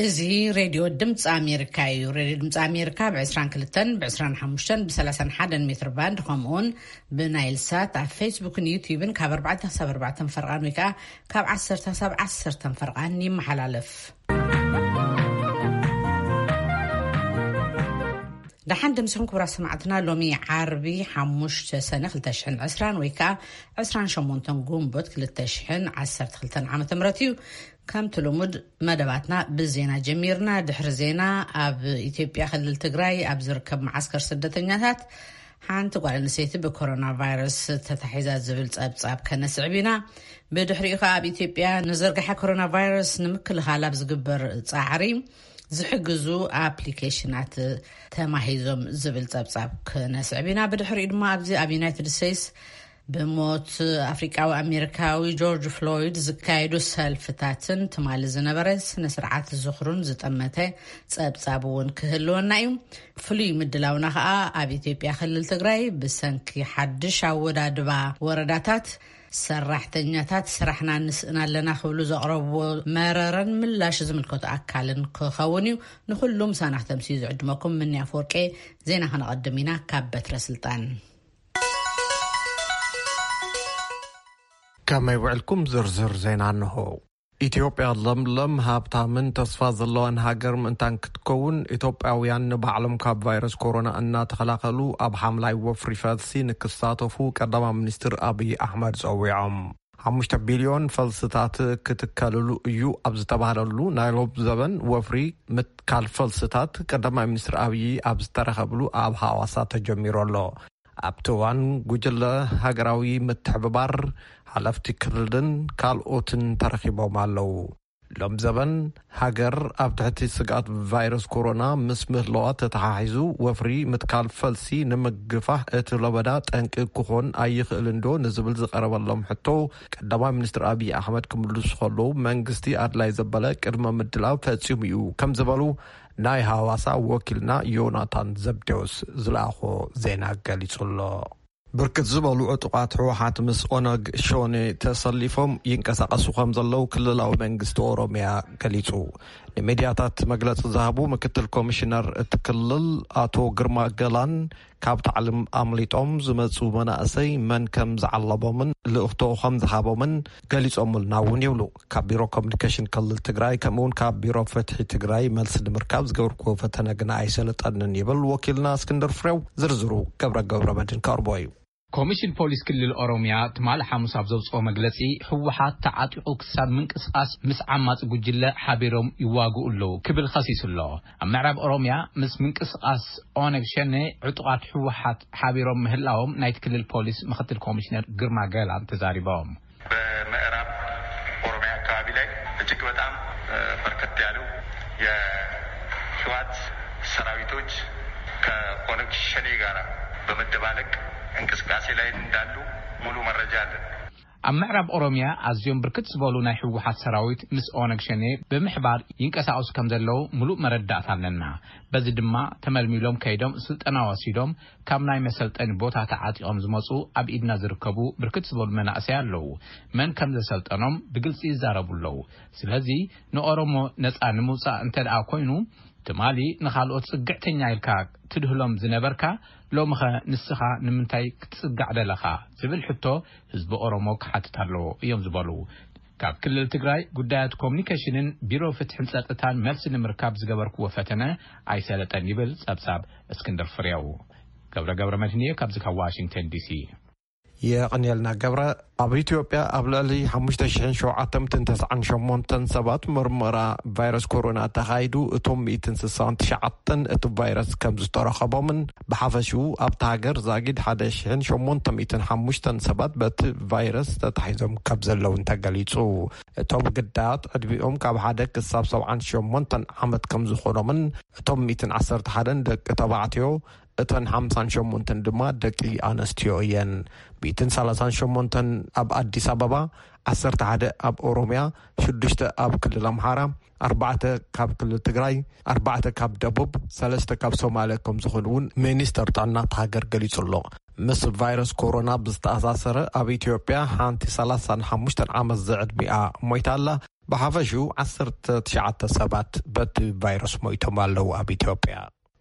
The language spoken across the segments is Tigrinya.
እዚ ሬድዮ ድምፂ ኣሜሪካ እዩ። ሬድዮ ድምፂ ኣሜሪካ ብ22፣ ብ25፣ ብ31 ሜትር ባንድ፣ ከምኡውን ብናይል ሳት ኣብ ፌስቡክን ዩቲዩብን ካብ ኣርባዕተ ክሳብ ኣርባዕተ ፈርቓን ወይ ከዓ ካብ ዓሰርተ ክሳብ ዓሰርተ ፈርቓን ይመሓላለፍ። ደሓን ደምስኹም ክቡራት ሰማዕትና። ሎሚ ዓርቢ ሓሙሽተ ሰነ ክልተ ሽሕን ዕስራን ወይ ከዓ ዕስራን ሸሞንተን ጉንቦት ክልተ ሽሕን ዓሰርተ ክልተን ዓመተ ምህረት እዩ። ከምቲ ልሙድ መደባትና ብዜና ጀሚርና። ድሕሪ ዜና ኣብ ኢትዮጵያ ክልል ትግራይ ኣብ ዝርከብ መዓስከር ስደተኛታት ሓንቲ ጓል ኣንስተይቲ ብኮሮና ቫይረስ ተታሒዛ ዝብል ጸብጻብ ከነስዕብ ኢና። ብድሕሪኡ ከኣ ኣብ ኢትዮጵያ ንዝርግሐ ኮሮና ቫይረስ ንምክልኻል ኣብ ዝግበር ጻዕሪ ዝሕግዙ ኣፕሊኬሽናት ተማሂዞም ዝብል ጸብጻብ ክነስዕብ ኢና። ብድሕሪኡ ድማ ኣብዚ ኣብ ዩናይትድ ስቴትስ ብሞት ኣፍሪቃዊ ኣሜሪካዊ ጆርጅ ፍሎይድ ዝካየዱ ሰልፍታትን ትማሊ ዝነበረ ስነ ስርዓት ዝኽሩን ዝጠመተ ጸብጻብ እውን ክህልወና እዩ። ፍሉይ ምድላውና ከኣ ኣብ ኢትዮጵያ ክልል ትግራይ ብሰንኪ ሓድሽ ኣወዳድባ ወረዳታት ሰራሕተኛታት ስራሕና ንስእን ኣለና ክብሉ ዘቕረብዎ መረረን ምላሽ ዝምልከቱ ኣካልን ክኸውን እዩ። ንኹሉ ምሳና ክተምስዩ ዝዕድመኩም ምንያ ፍወርቄ። ዜና ከነቐድም ኢና ካብ በትረ ስልጣን። ከመይ ውዕልኩም? ዝርዝር ዜና እንሆ። ኢትዮጵያ ለምለም፣ ሃብታምን ተስፋ ዘለዋን ሃገር ምእንታን ክትከውን፣ ኢትዮጵያውያን ንባዕሎም ካብ ቫይረስ ኮሮና እናተኸላኸሉ ኣብ ሓምላይ ወፍሪ ፈልሲ ንክሳተፉ ቀዳማይ ሚኒስትር ኣብይ ኣሕመድ ጸዊዖም። ሓሙሽተ ቢልዮን ፈልስታት ክትከልሉ እዩ ኣብ ዝተባህለሉ ናይ ሎብ ዘበን ወፍሪ ምትካል ፈልስታት ቀዳማይ ሚኒስትር ኣብይ ኣብ ዝተረኸብሉ ኣብ ሃዋሳ ተጀሚሩ ኣሎ። ኣብቲ እዋን ጉጅለ ሃገራዊ ምትሕብባር፣ ሓለፍቲ ክልልን ካልኦትን ተረኺቦም ኣለዉ። ሎም ዘበን ሃገር ኣብ ትሕቲ ስግኣት ቫይረስ ኮሮና ምስ ምህለዋ ተተሓሒዙ፣ ወፍሪ ምትካል ፈልሲ ንምግፋሕ እቲ ለበዳ ጠንቂ ክኾን ኣይኽእልን ዶ ንዝብል ዝቐረበሎም ሕቶ፣ ቀዳማይ ሚኒስትር ኣብይ ኣሕመድ ክምልሱ ከለዉ፣ መንግስቲ ኣድላይ ዘበለ ቅድመ ምድላው ፈጺሙ እዩ ከም ዝበሉ ናይ ሃዋሳ ወኪልና ዮናታን ዘብዴዎስ ዝለኣኾ ዜና ገሊጹ ኣሎ። ብርክት ዝበሉ ዕጡቓት ህወሓት ምስ ኦነግ ሸኔ ተሰሊፎም ይንቀሳቐሱ ከም ዘለዉ ክልላዊ መንግስቲ ኦሮሚያ ገሊጹ። ንሚድያታት መግለጺ ዝሃቡ ምክትል ኮሚሽነር እቲ ክልል ኣቶ ግርማ ገላን፣ ካብ ታዕሊም ኣምሊጦም ዝመጹ መናእሰይ መን ከም ዝዓለቦምን ልእኽቶ ከም ዝሃቦምን ገሊጾምልና እውን ይብሉ። ካብ ቢሮ ኮሚኒኬሽን ክልል ትግራይ ከምኡውን ካብ ቢሮ ፍትሒ ትግራይ መልሲ ንምርካብ ዝገበርኩዎ ፈተነ ግና ኣይሰለጠንን ይብል ወኪልና እስክንድር ፍሬው። ዝርዝሩ ገብረ ገብረ መድህን ከቕርቦ እዩ። ኮሚሽን ፖሊስ ክልል ኦሮሚያ ትማሊ ሓሙስ ኣብ ዘውፅኦ መግለፂ፣ ህወሓት ተዓጢቑ ክሳብ ምንቅስቓስ ምስ ዓማፂ ጉጅለ ሓቢሮም ይዋግኡ ኣለዉ ክብል ኸሲሱ ኣሎ። ኣብ ምዕራብ ኦሮሚያ ምስ ምንቅስቓስ ኦነግ ሸኔ ዕጡቓት ህወሓት ሓቢሮም ምህላዎም ናይቲ ክልል ፖሊስ ምክትል ኮሚሽነር ግርማ ገላን ተዛሪቦም። በምዕራብ ኦሮሚያ አካባቢ ላይ እጅግ በጣም፣ እ፣ በርከት ያሉ የህወሓት ሰራዊቶች ከኦነግ ሸኔ ጋር በመደባለቅ እንቅስቃሴ ላይ እንዳሉ ሙሉ መረጃ አለን። ኣብ ምዕራብ ኦሮሚያ ኣዝዮም ብርክት ዝበሉ ናይ ህወሓት ሰራዊት ምስ ኦነግ ሸኔ ብምሕባር ይንቀሳቐሱ ከም ዘለዉ ምሉእ መረዳእታ ኣለና። በዚ ድማ ተመልሚሎም ከይዶም ስልጠና ወሲዶም ካብ ናይ መሰልጠኒ ቦታ ተዓጢቖም ዝመጹ ኣብ ኢድና ዝርከቡ ብርክት ዝበሉ መናእሰይ ኣለዉ። መን ከም ዘሰልጠኖም ብግልጺ ይዛረቡ ኣለዉ። ስለዚ ንኦሮሞ ነጻ ንምውጻእ እንተ ደኣ ኮይኑ፣ ትማሊ ንኻልኦት ጽግዕተኛ ኢልካ ትድህሎም ዝነበርካ፣ ሎምኸ ንስኻ ንምንታይ ክትጽጋዕ ደለኻ? ዝብል ሕቶ ህዝቢ ኦሮሞ ክሓትት ኣለዎ እዮም ዝበሉ። ካብ ክልል ትግራይ ጉዳያት ኮሚኒኬሽንን ቢሮ ፍትሕን ጸጥታን መልሲ ንምርካብ ዝገበርክዎ ፈተነ ኣይሰለጠን ይብል ጸብጻብ እስክንድር ፍሬው። ገብረ ገብረ መድህን እየ ካብዚ ካብ ዋሽንግተን ዲሲ። የቐንየልና ገብረ። ኣብ ኢትዮጵያ ኣብ ልዕሊ ሓሙሽተ ሽሕን ሸውዓተ ሚእትን ተስዓን ሸሞንተን ሰባት ምርመራ ቫይረስ ኮሮና ተኻይዱ፣ እቶም ሚእትን ስሳን ትሽዓተን እቲ ቫይረስ ከም ዝተረኸቦምን ብሓፈሽኡ ኣብታ ሃገር ዛጊድ ሓደ ሽሕን ሸሞንተ ሚእትን ሓሙሽተን ሰባት በቲ ቫይረስ ተታሒዞም ከም ዘለውን ተገሊጹ። እቶም ግዳያት ዕድሚኦም ካብ ሓደ ክሳብ ሰብዓን ሸሞንተን ዓመት ከም ዝኾኖምን እቶም ሚእትን ዓሰርተ ሓደን ደቂ ተባዕትዮ፣ እተን ሓምሳን ሸሞንተን ድማ ደቂ ኣነስትዮ እየን። ሚእትን ሰላሳን ሸሞንተን ኣብ ኣዲስ ኣበባ፣ ዓሰርተ ሓደ ኣብ ኦሮሚያ፣ ሽዱሽተ ኣብ ክልል ኣምሓራ፣ ኣርባዕተ ካብ ክልል ትግራይ፣ ኣርባዕተ ካብ ደቡብ፣ ሰለስተ ካብ ሶማልያ ከም ዝኾኑ እውን ሚኒስተር ጥዕና እታ ሃገር ገሊጹ ኣሎ። ምስ ቫይረስ ኮሮና ብዝተኣሳሰረ ኣብ ኢትዮጵያ ሓንቲ ሰላሳን ሓሙሽተን ዓመት ዝዕድሚኣ ሞይታ ኣላ። ብሓፈሽኡ ዓሰርተ ትሽዓተ ሰባት በቲ ቫይረስ ሞይቶም ኣለዉ። ኣብ ኢትዮጵያ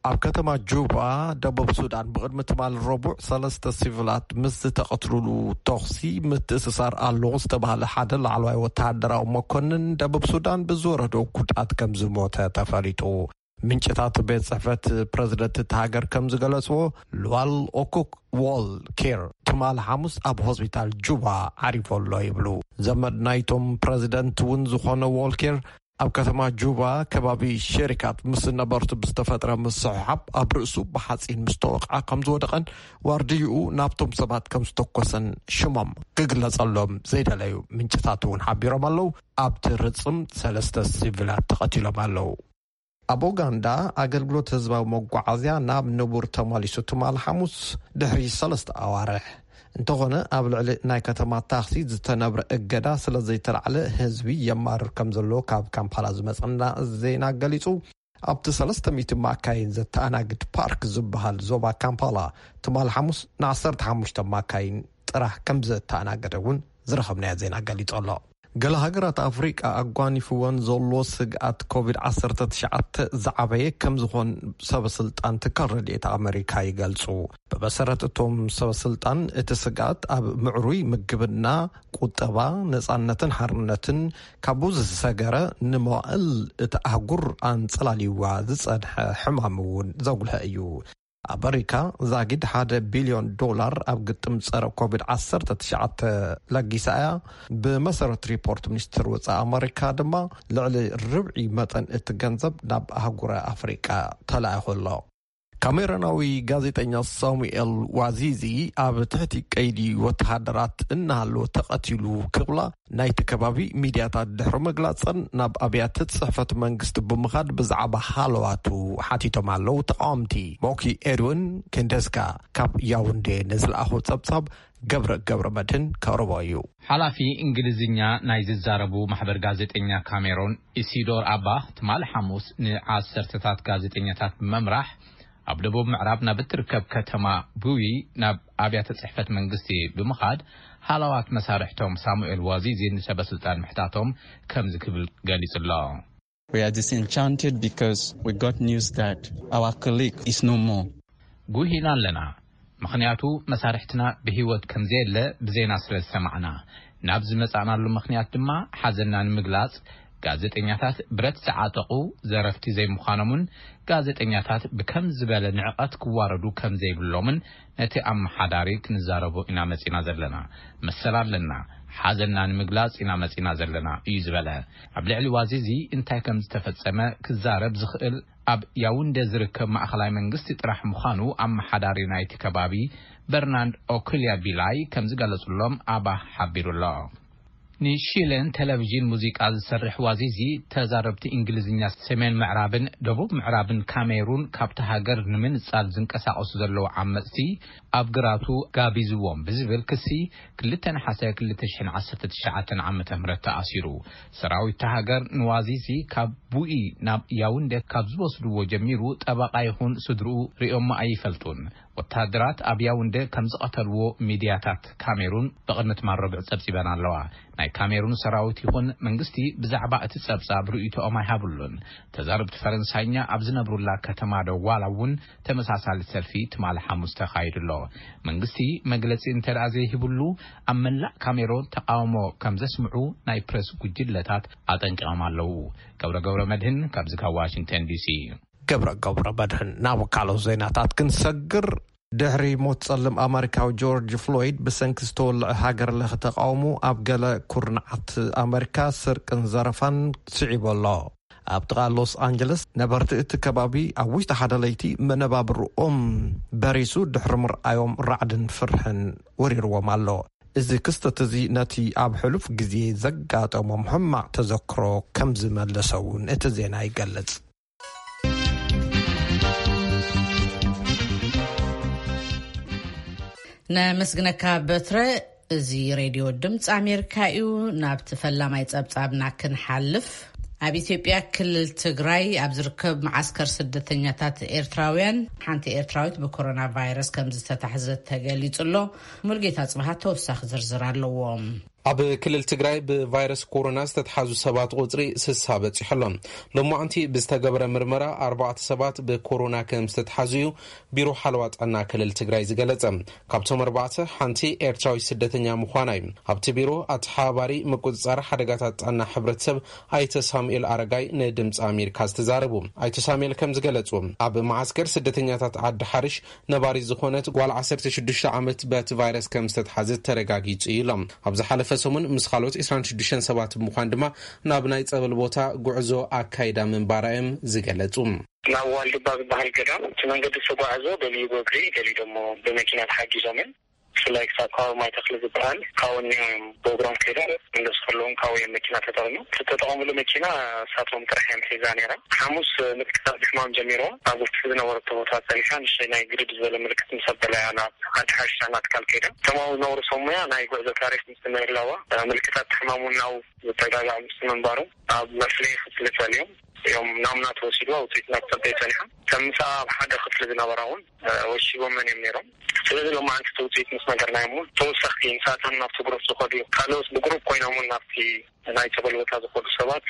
ኣብ ከተማ ጁባ ደቡብ ሱዳን ብቕድሚ ትማል ረቡዕ ሰለስተ ሲቪላት ምስ ዝተቐትሉሉ ተኹሲ ምትእስሳር ኣለዎ ዝተባህለ ሓደ ላዕለዋይ ወተሃደራዊ መኮንን ደቡብ ሱዳን ብዝወረዶ ጉድኣት ከም ዝሞተ ተፈሊጡ። ምንጭታት ቤት ጽሕፈት ፕረዚደንት እቲ ሃገር ከም ዝገለጽዎ፣ ሉዋል ኦኩክ ዎል ኬር ትማል ሓሙስ ኣብ ሆስፒታል ጁባ ዓሪፎ ኣሎ ይብሉ። ዘመድ ናይቶም ፕረዚደንት እውን ዝኾነ ዎል ኬር ኣብ ከተማ ጁባ ከባቢ ሸሪካት ምስ ነበርቱ ብዝተፈጥረ ምስሕሓብ ኣብ ርእሱ ብሓፂን ምስ ተወቕዐ ከም ዝወደቐን ዋርድይኡ ናብቶም ሰባት ከም ዝተኮሰን ሽሞም ክግለጸሎም ዘይደለዩ ምንጭታት እውን ሓቢሮም ኣለዉ። ኣብቲ ርጽም ሰለስተ ሲቪላት ተቐቲሎም ኣለዉ። ኣብ ኡጋንዳ ኣገልግሎት ህዝባዊ መጓዓዝያ ናብ ንቡር ተመሊሱ ትማል ሓሙስ ድሕሪ ሰለስተ ኣዋርሕ። እንተኾነ ኣብ ልዕሊ ናይ ከተማ ታክሲ ዝተነብረ እገዳ ስለ ዘይተላዕለ ህዝቢ የማርር ከም ዘሎ ካብ ካምፓላ ዝመጸና ዜና ገሊጹ። ኣብቲ ሰለስተ ሚእቲ ማካይን ዘተኣናግድ ፓርክ ዝበሃል ዞባ ካምፓላ ትማል ሓሙስ ን ዓሰርተ ሓሙሽተ ማካይን ጥራሕ ከም ዘተኣናገደ እውን ዝረኸብናዮ ዜና ገሊጹ ኣሎ። ገለ ሃገራት ኣፍሪቃ ኣጓኒፍወን ዘሎ ስግኣት ኮቪድ ዓሰርተ ትሽዓተ ዝዓበየ ከም ዝኾን ሰበ ስልጣን ትካል ረድኤት ኣመሪካ ይገልጹ። ብመሰረት እቶም ሰበ ስልጣን እቲ ስግኣት ኣብ ምዕሩይ ምግብና፣ ቁጠባ፣ ነጻነትን ሓርነትን ካብኡ ዝሰገረ ንመዋእል እቲ ኣህጉር ኣንጸላልይዋ ዝጸንሐ ሕማም እውን ዘጉልሐ እዩ። ኣመሪካ ዛጊድ ሓደ ቢልዮን ዶላር ኣብ ግጥም ጸረ ኮቪድ ዓሰርተ ትሽዓተ ለጊሳ እያ። ብመሰረት ሪፖርት ሚኒስትር ወጻኢ ኣመሪካ ድማ ልዕሊ ርብዒ መጠን እቲ ገንዘብ ናብ ኣህጉረ ኣፍሪቃ ተላኢኹ ኣሎ። ካሜሮናዊ ጋዜጠኛ ሳሙኤል ዋዚዚ ኣብ ትሕቲ ቀይዲ ወተሃደራት እናሃለወ ተቐቲሉ ክብላ ናይቲ ከባቢ ሚድያታት ድሕሪ ምግላጸን ናብ ኣብያተ ጽሕፈት መንግስቲ ብምኻድ ብዛዕባ ሃለዋቱ ሓቲቶም ኣለዉ ተቃወምቲ። ሞኪ ኤድዊን ኬንደስካ ካብ ያውንዴ ንዝለኣኾ ጸብጻብ ገብረ ገብረ መድህን ከቕርቦ እዩ። ሓላፊ እንግሊዝኛ ናይ ዝዛረቡ ማሕበር ጋዜጠኛ ካሜሮን ኢሲዶር ኣባ ትማሊ ሓሙስ ንዓሰርተታት ጋዜጠኛታት ብምምራሕ ኣብ ደቡብ ምዕራብ ናብ እትርከብ ከተማ ቡዊ ናብ ኣብያተ ጽሕፈት መንግስቲ ብምኻድ ሃለዋት መሳርሕቶም ሳሙኤል ዋዚዚ ንሰበ ስልጣን ምሕታቶም ከምዚ ክብል ገሊጹ ኣሎ። We are disenchanted because we got news that our colleague is no more. ጉሂና ኣለና፣ ምኽንያቱ መሳርሕትና ብህይወት ከም ዘየለ ብዜና ስለ ዝሰማዕና። ናብ ዝመጻእናሉ ምኽንያት ድማ ሓዘንና ንምግላጽ፣ ጋዜጠኛታት ብረት ዝዓጠቑ ዘረፍቲ ዘይምዃኖምን ጋዜጠኛታት ብከም ዝበለ ንዕቐት ክዋረዱ ከም ዘይብሎምን ነቲ ኣመሓዳሪ ክንዛረቦ ኢና መጺና ዘለና። መሰል ኣለና፣ ሓዘንና ንምግላጽ ኢና መጺና ዘለና እዩ ዝበለ። ኣብ ልዕሊ ዋዚዚ እንታይ ከም ዝተፈጸመ ክዛረብ ዝኽእል ኣብ ያውንደ ዝርከብ ማእኸላይ መንግስቲ ጥራሕ ምዃኑ ኣመሓዳሪ ናይቲ ከባቢ በርናንድ ኦኩልያ ቢላይ ከም ዝገለጹሎም ኣባ ሓቢሩ ኣሎ። ንሺሌን ቴሌቪዥን ሙዚቃ ዝሰርሕ ዋዚዚ ተዛረብቲ እንግሊዝኛ ሰሜን ምዕራብን ደቡብ ምዕራብን ካሜሩን ካብቲ ሃገር ንምንጻል ዝንቀሳቐሱ ዘለዉ ዓመጽቲ ኣብ ግራቱ ጋቢዝዎም ብዝብል ክሲ ክልተ ነሓሰ ክልተ ሽሕን ዓሰርተ ትሽዓተን ዓመተ ምህረት ተኣሲሩ። ሰራዊት እታ ሃገር ንዋዚዚ ካብ ቡኢ ናብ ያውንደ ካብ ዝወስድዎ ጀሚሩ ጠበቓ ይኹን ስድርኡ ሪኦሞ ኣይፈልጡን። ወተሃደራት ኣብ ያውንደ ከም ዝቐተልዎ ሚድያታት ካሜሩን ብቕድሚ ትማል ረቡዕ ጸብጺበን ኣለዋ። ናይ ካሜሩን ሰራዊት ይኹን መንግስቲ ብዛዕባ እቲ ጸብጻብ ርእይቶኦም ኣይሃብሉን። ተዛረብቲ ፈረንሳይኛ ኣብ ዝነብሩላ ከተማ ደዋላ እውን ተመሳሳሊ ሰልፊ ትማሊ ሓሙስ ተኻይዱ ኣሎ። መንግስቲ መግለጺ እንተ ደኣ ዘይሂብሉ፣ ኣብ መላእ ካሜሮን ተቃውሞ ከም ዘስምዑ ናይ ፕረስ ጉጅለታት ኣጠንቂቖም ኣለዉ። ገብረ ገብረ መድህን ካብዚ ካብ ዋሽንግተን ዲሲ። ገብረ ገብረ መድህን። ናብ ካልኦት ዜናታት ክንሰግር፣ ድሕሪ ሞት ጸልም ኣመሪካዊ ጆርጅ ፍሎይድ ብሰንኪ ዝተወልዐ ሃገር ለኸ ተቃውሞ ኣብ ገለ ኩርናዓት ኣመሪካ ስርቅን ዘረፋን ስዒቡ ኣሎ። ኣብ ጥቓ ሎስ ኣንጀለስ ነበርቲ እቲ ከባቢ ኣብ ውሽጢ ሓደ ለይቲ መነባብርኦም በሪሱ ድሕሪ ምርኣዮም ራዕድን ፍርሕን ወሪርዎም ኣሎ። እዚ ክስተት እዚ ነቲ ኣብ ሕሉፍ ግዜ ዘጋጠሞም ሕማቕ ተዘክሮ ከም ዝመለሰ እውን እቲ ዜና ይገልጽ። ነመስግነካ በትረ። እዚ ሬድዮ ድምፂ ኣሜሪካ እዩ። ናብቲ ፈላማይ ጸብጻብና ክንሓልፍ፣ ኣብ ኢትዮጵያ ክልል ትግራይ ኣብ ዝርከብ መዓስከር ስደተኛታት ኤርትራውያን ሓንቲ ኤርትራዊት ብኮሮና ቫይረስ ከም ዝተታሕዘት ተገሊጹ ኣሎ። ሙልጌታ ጽብሃት ተወሳኺ ዝርዝር ኣለዎ። ኣብ ክልል ትግራይ ብቫይረስ ኮሮና ዝተትሓዙ ሰባት ቁፅሪ ስሳ በፂሑ ኣሎ። ሎማዕንቲ ብዝተገበረ ምርመራ ኣርባዕተ ሰባት ብኮሮና ከም ዝተትሓዙ እዩ ቢሮ ሓለዋ ጥዕና ክልል ትግራይ ዝገለጸ። ካብቶም ኣርባዕተ ሓንቲ ኤርትራዊ ስደተኛ ምዃና እዩ ኣብቲ ቢሮ ኣተሓባባሪ ምቁፅፃር ሓደጋታት ጥዕና ሕብረተሰብ ኣይተ ሳሙኤል ኣረጋይ ንድምፂ ኣሜሪካ ዝተዛረቡ። ኣይተ ሳሙኤል ከም ዝገለጹ፣ ኣብ መዓስከር ስደተኛታት ዓዲ ሓርሽ ነባሪ ዝኾነት ጓል ዓሰርተ ሽዱሽተ ዓመት በቲ ቫይረስ ከም ዝተትሓዘት ተረጋጊጹ እዩ ኢሎም። ኣብ ዝሓለፈ ሰሙን ምስ ካልኦት ዕስራን ሽዱሽተን ሰባት ብምዃን ድማ ናብ ናይ ጸበል ቦታ ጉዕዞ ኣካይዳ ምንባራ እዮም ዝገለጹ። ናብ ዋልድባ ዝበሃል ገዳም እቲ መንገዲ ዝተጓዕዞ ገሊኡ ብእግሪ፣ ገሊኡ ደሞ ብመኪና ተሓጊዞምን፣ ብፍላይ ክሳብ ከባቢ ማይ ተኽሊ ዝበሃል ካብኡ እኒኦም እዮም ብእግሮም ከይዶም፣ መለስ ከለዎም ካብኡ እዮም መኪና ተጠቕሙ። ዝተጠቐምሉ መኪና እሳቶም ጥራሕ እዮም ሒዛ ነይራ። ሓሙስ ምልክታት ሕማም ጀሚርዋ፣ ኣብ ውሽጢ ዝነበረቶ ቦታ ጸኒሓ፣ ንእሽተይ ናይ ግድድ ዝበለ ምልክት ምስ ኣበላያ ናብ ዓዲ ሓርሻ እናትካል ከይዳ። እቶም ኣብኡ ዝነበሩ ሰብ ሞያ ናይ ጉዕዞ ታሪኽ ምስ ምህላዋ፣ ምልክታት ሕማም እውን ናብኡ ዝተጋጋዕ ምስ ምንባሩ፣ ኣብ መፍለዪ ክፍሊ ጸንዮም እዮም ናሙና ተወሲድዋ፣ ውፅኢት ናብ ጸበይ ጸኒሖም። ከም ምሳኣ ኣብ ሓደ ክፍሊ ዝነበራ እውን ወሺቦመን እዮም ነይሮም። ስለዚ ሎማዓንቲ እቲ ውፅኢት ምስ ነገርናዮም እውን ተወሰኽቲ ንሳቶም ናብቲ ግሩፕ ዝኸዱ፣ ካልኦት ብግሩፕ ኮይኖም እውን ናብቲ ናይ ጸበል ቦታ ዝኸዱ ሰባት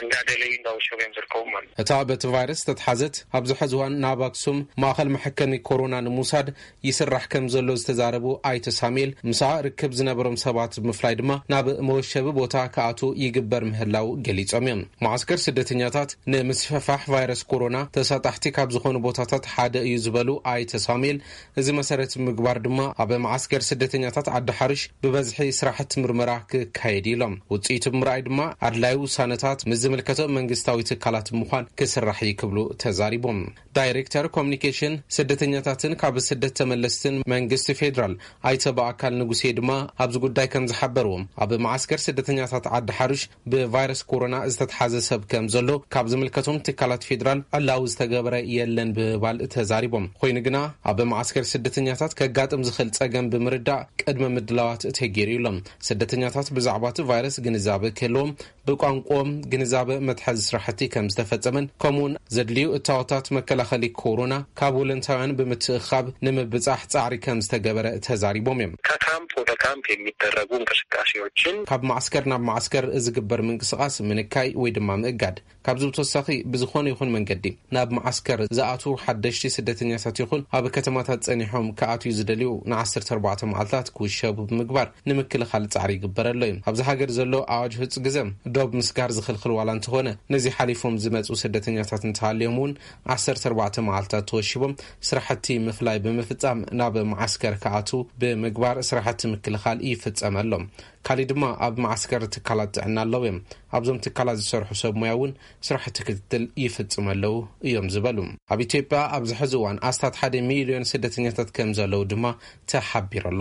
እንዳደለዩ እንዳወሸቡ እዮም ዝርከቡ ማለት እዩ። እታ በቲ ቫይረስ ዝተትሓዘት ኣብዚ ሕዚ እዋን ናብ ኣክሱም ማእኸል መሐከሚ ኮሮና ንምውሳድ ይስራሕ ከም ዘሎ ዝተዛረቡ ኣይተ ሳሙኤል፣ ምሳኣ ርክብ ዝነበሮም ሰባት ብምፍላይ ድማ ናብ መወሸቢ ቦታ ክኣትዉ ይግበር ምህላው ገሊጾም እዮም። መዓስከር ስደተኛታት ንምስፍሕፋሕ ቫይረስ ኮሮና ተሳጣሕቲ ካብ ዝኾኑ ቦታታት ሓደ እዩ ዝበሉ ኣይተ ሳሙኤል፣ እዚ መሰረት ምግባር ድማ ኣብ መዓስከር ስደተኛታት ዓዲ ሓርሽ ብበዝሒ ስራሕቲ ምርመራ ክካየድ እዩ ኢሎም። ውፅኢቱ ብምርኣይ ድማ ኣድላዩ ውሳነታት ምስ ዝምልከቶ መንግስታዊ ትካላት ምዃን ክስራሕ እዩ ክብሉ ተዛሪቦም። ዳይሬክተር ኮሚኒኬሽን ስደተኛታትን ካብ ስደት ተመለስትን መንግስቲ ፌዴራል ኣይተ በኣካል ንጉሴ ድማ ኣብዚ ጉዳይ ከም ዝሓበርዎም፣ ኣብ መዓስከር ስደተኛታት ዓዲ ሓርሽ ብቫይረስ ኮሮና ዝተትሓዘ ሰብ ከም ዘሎ ካብ ዝምልከቶም ትካላት ፌዴራል ዕላዊ ዝተገበረ የለን ብምባል ተዛሪቦም። ኮይኑ ግና ኣብ መዓስከር ስደተኛታት ከጋጥም ዝኽእል ጸገም ብምርዳእ ቅድመ ምድላዋት ተገይሩ ኢሎም። ስደተኛታት ብዛዕባ እቲ ቫይረስ ግንዛበ ክህልዎም ብቋንቋኦም ግንዛበ መትሓዚ ስራሕቲ ከም ዝተፈጸመን ከምኡውን ዘድልዩ እታወታት መከላኸሊ ኮሮና ካብ ወለንታውያን ብምትእኻብ ንምብጻሕ ጻዕሪ ከም ዝተገበረ ተዛሪቦም እዮም። ከካምፕ ወደ ካምፕ የሚደረጉ እንቅስቃሴዎችን ካብ ማዕስከር ናብ ማዕስከር ዝግበር ምንቅስቃስ ምንካይ ወይ ድማ ምእጋድ። ካብዚ ብተወሳኺ ብዝኾነ ይኹን መንገዲ ናብ ማዕስከር ዝኣትዉ ሓደሽቲ ስደተኛታት ይኹን ኣብ ከተማታት ጸኒሖም ክኣትዉ ዝደልዩ ንዓሰርተ ኣርባዕተ መዓልታት ክውሸቡ ብምግባር ንምክልኻል ጻዕሪ ይግበረሎ እዩ። ኣብዚ ሃገር ዘሎ ኣዋጅ ህጹ ግዘ ዶብ ምስጋር ዝኽልኽል ዋላ እንተኾነ፣ ነዚ ሓሊፎም ዝመጹ ስደተኛታት እንተሃልዮም እውን ዓሰርተ ኣርባዕተ መዓልታት ተወሺቦም ስራሕቲ ምፍላይ ብምፍጻም ናብ ማዓስከር ክኣትዉ ብምግባር ስራሕቲ ምክልኻል ይፍጸመሎም። ካሊእ ድማ ኣብ ማዓስከር ትካላት ጥዕና ኣለዉ እዮም። ኣብዞም ትካላት ዝሰርሑ ሰብ ሞያ እውን ስራሕቲ ክትትል ይፍጽሙ ኣለዉ እዮም ዝበሉ። ኣብ ኢትዮጵያ ኣብዚ ሕዚ እዋን ኣስታት ሓደ ሚልዮን ስደተኛታት ከም ዘለዉ ድማ ተሓቢሩ ኣሎ።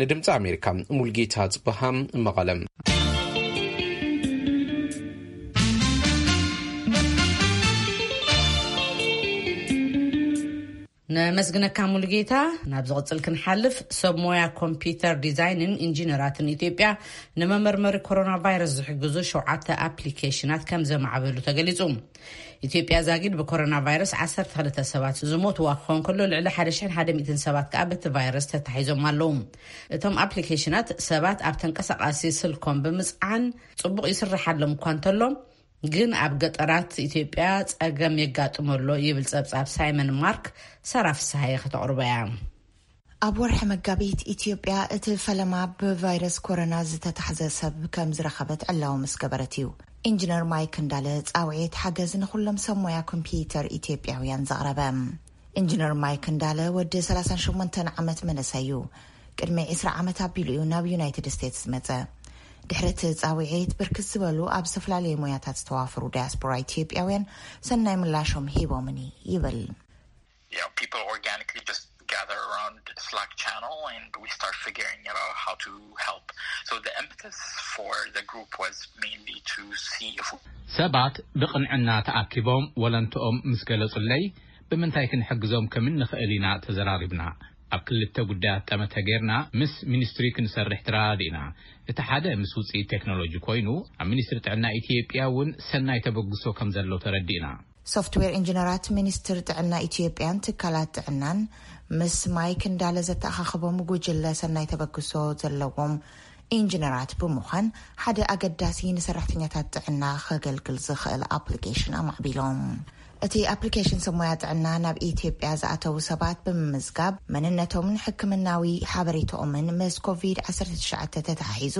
ንድምፂ ኣሜሪካ ሙልጌታ ጽበሃ፣ መቐለ። ነመስግነካ ሙሉጌታ። ናብ ዝቕጽል ክንሓልፍ፣ ሰብ ሞያ ኮምፒውተር ዲዛይንን ኢንጂነራትን ኢትዮጵያ ንመመርመሪ ኮሮና ቫይረስ ዝሕግዙ ሸውዓተ ኣፕሊኬሽናት ከም ዘማዕበሉ ተገሊጹ። ኢትዮጵያ ዛጊድ ብኮሮና ቫይረስ ዓሰርተ ክልተ ሰባት ዝሞትዋ ክኸውን ከሎ፣ ልዕሊ ሓደ ሽሕን ሓደ ሚእትን ሰባት ከኣ በቲ ቫይረስ ተታሒዞም ኣለዉ። እቶም ኣፕሊኬሽናት ሰባት ኣብ ተንቀሳቓሲ ስልኮም ብምጽዓን ጽቡቕ ይስርሓሎም እኳ እንተሎ፣ ግን ኣብ ገጠራት ኢትዮጵያ ጸገም የጋጥሞ ኣሎ ይብል ጸብጻብ ሳይመን ማርክ። ሳራ ፍስሃየ ከተቕርቦ እያ። ኣብ ወርሒ መጋቢት ኢትዮጵያ እቲ ፈለማ ብቫይረስ ኮሮና ዝተታሕዘ ሰብ ከም ዝረኸበት ዕላዊ ምስ ገበረት እዩ ኢንጂነር ማይክ እንዳለ ጻውዒት ሓገዝ ንኹሎም ሰብ ሞያ ኮምፒውተር ኢትዮጵያውያን ዘቕረበ። ኢንጂነር ማይክ እንዳለ ወዲ ሰላሳን ሸሞንተን ዓመት መንእሰይ እዩ። ቅድሚ ዕስራ ዓመት ኣቢሉ እዩ ናብ ዩናይትድ ስቴትስ ዝመጸ። ድሕሪ እቲ ጻውዒት፣ ብርክት ዝበሉ ኣብ ዝተፈላለዩ ሞያታት ዝተዋፈሩ ዳያስፖራ ኢትዮጵያውያን ሰናይ ምላሾም ሂቦምኒ ይብል። Yeah, people organically just gather around Slack channel and we start figuring it out how to help. So the impetus for the group was mainly to see if ሰባት ብቕንዕና ተኣኪቦም ወለንትኦም ምስ ገለጹለይ፣ ብምንታይ ክንሕግዞም ከም እንኽእል ኢና ተዘራሪብና። ኣብ ክልተ ጉዳያት ጠመተ ጌርና ምስ ሚኒስትሪ ክንሰርሕ ተረዳዲእና። እቲ ሓደ ምስ ውፅኢት ቴክኖሎጂ ኮይኑ፣ ኣብ ሚኒስትሪ ጥዕና ኢትዮጵያ እውን ሰናይ ተበግሶ ከም ዘሎ ተረዲእና። ሶፍትዌር ኢንጂነራት ሚኒስትሪ ጥዕና ኢትዮጵያን ትካላት ጥዕናን ምስ ማይክ እንዳለ ዘተኣኻኸቦም ጉጅለ ሰናይ ተበግሶ ዘለዎም ኢንጂነራት ብምዃን ሓደ ኣገዳሲ ንሰራሕተኛታት ጥዕና ከገልግል ዝኽእል ኣፕሊኬሽን ኣማዕቢሎም። እቲ ኣፕሊኬሽን ሰብ ሞያ ጥዕና ናብ ኢትዮጵያ ዝኣተዉ ሰባት ብምምዝጋብ መንነቶምን ሕክምናዊ ሓበሬታኦምን ምስ ኮቪድ ዓሰርተ ትሽዓተ ተተሓሒዙ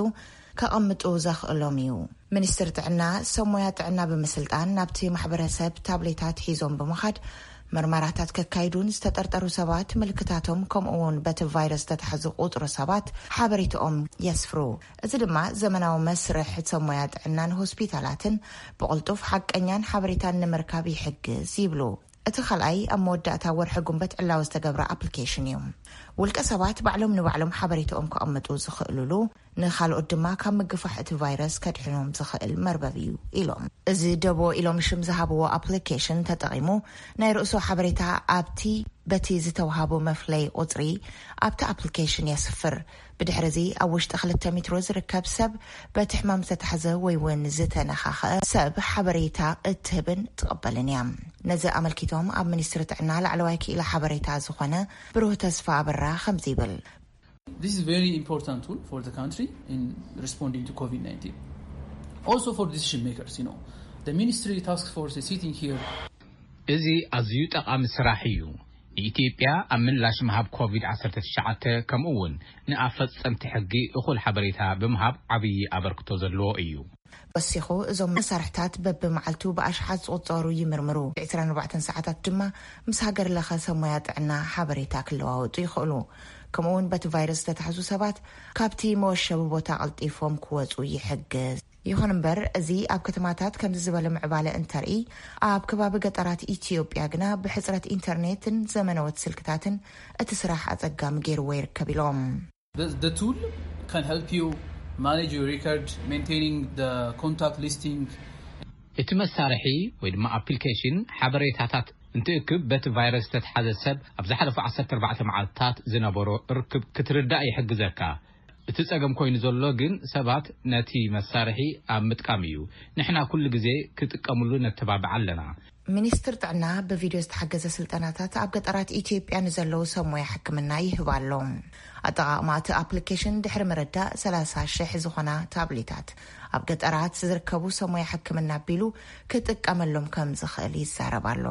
ከቐምጡ ዘኽእሎም እዩ። ሚኒስትር ጥዕና ሰብ ሞያ ጥዕና ብምስልጣን ናብቲ ማሕበረሰብ ታብሌታት ሒዞም ብምኻድ ምርመራታት ከካይዱን ዝተጠርጠሩ ሰባት ምልክታቶም ከምኡ እውን በቲ ቫይረስ ዝተታሕዙ ቁፅሪ ሰባት ሓበሬታኦም የስፍሩ። እዚ ድማ ዘመናዊ መስርሕ ሰብ ሞያ ጥዕናን ሆስፒታላትን ብቕልጡፍ ሓቀኛን ሓበሬታን ንምርካብ ይሕግዝ ይብሉ። እቲ ካልኣይ ኣብ መወዳእታ ወርሒ ጉንበት ዕላዊ ዝተገብረ ኣፕሊኬሽን እዩ። ውልቀ ሰባት ባዕሎም ንባዕሎም ሓበሬታኦም ከቐምጡ ዝኽእሉሉ፣ ንኻልኦት ድማ ካብ ምግፋሕ እቲ ቫይረስ ከድሕኖም ዝኽእል መርበብ እዩ ኢሎም። እዚ ደቦ ኢሎም ሽም ዝሃብዎ ኣፕሊኬሽን ተጠቒሙ ናይ ርእሱ ሓበሬታ ኣብቲ በቲ ዝተውሃቦ መፍለይ ቁጽሪ ኣብቲ ኣፕሊኬሽን የስፍር። ብድሕሪ እዚ ኣብ ውሽጢ ክልተ ሜትሮ ዝርከብ ሰብ በቲ ሕማም ዝተታሕዘ ወይ እውን ዝተነኻኸ ሰብ ሓበሬታ እትህብን ትቕበልን እያ። ነዚ ኣመልኪቶም ኣብ ሚኒስትሪ ጥዕና ላዕለዋይ ክኢላ ሓበሬታ ዝኾነ ብሩህ ተስፋ ኣበራ ከምዚ ይብል። This is very important tool for the country in responding to COVID nineteen. Also for decision makers, you know, the ministry task force is sitting here. እዚ ኣዝዩ ጠቓሚ ስራሕ እዩ። ንኢትዮጵያ ኣብ ምላሽ ምሃብ ኮቪድ ዓሰርተ ትሽዓተ ከምኡ እውን ንኣፈጸምቲ ሕጊ እኹል ሓበሬታ ብምሃብ ዓብዪ ኣበርክቶ ዘለዎ እዩ። ወሲኹ እዞም መሳርሕታት በብመዓልቱ ብኣሽሓት ዝቑጸሩ ይምርምሩ። ዕስራን ኣርባዕተን ሰዓታት ድማ ምስ ሃገር ለኸ ሰብ ሞያ ጥዕና ሓበሬታ ክለዋወጡ ይኽእሉ። ከምኡ እውን በቲ ቫይረስ ዝተታሕዙ ሰባት ካብቲ መወሸቢ ቦታ ቀልጢፎም ክወፁ ይሕግዝ። ይኹን እምበር እዚ ኣብ ከተማታት ከምዚ ዝበለ ምዕባለ እንተርኢ፣ ኣብ ከባቢ ገጠራት ኢትዮጵያ ግና ብሕፅረት ኢንተርኔትን ዘመነዎት ስልክታትን እቲ ስራሕ ኣፀጋሚ ገይርዎ ይርከብ ኢሎም። The, the tool can help you manage your record, maintaining the contact listing. እቲ መሳርሒ ወይ ድማ ኣፕሊኬሽን ሓበሬታታት እንትእክብ በቲ ቫይረስ ዝተትሓዘ ሰብ ኣብ ዝሓለፉ ዓሰርተ ኣርባዕተ መዓልትታት ዝነበሮ ርክብ ክትርዳእ ይሕግዘካ። እቲ ጸገም ኮይኑ ዘሎ ግን ሰባት ነቲ መሳርሒ ኣብ ምጥቃም እዩ። ንሕና ኩሉ ግዜ ክጥቀምሉ ነተባብዕ ኣለና። ሚኒስትር ጥዕና ብቪድዮ ዝተሓገዘ ስልጠናታት ኣብ ገጠራት ኢትዮጵያ ንዘለዉ ሰብ ሞያ ሕክምና ይህብ ኣሎ። ኣጠቓቕማ እቲ ኣፕሊኬሽን ድሕሪ ምርዳእ ሰላሳ ሽሕ ዝኾና ታብሌታት ኣብ ገጠራት ዝርከቡ ሰብ ሞያ ሕክምና ኣቢሉ ክጥቀመሎም ከም ዝኽእል ይዛረብ ኣሎ።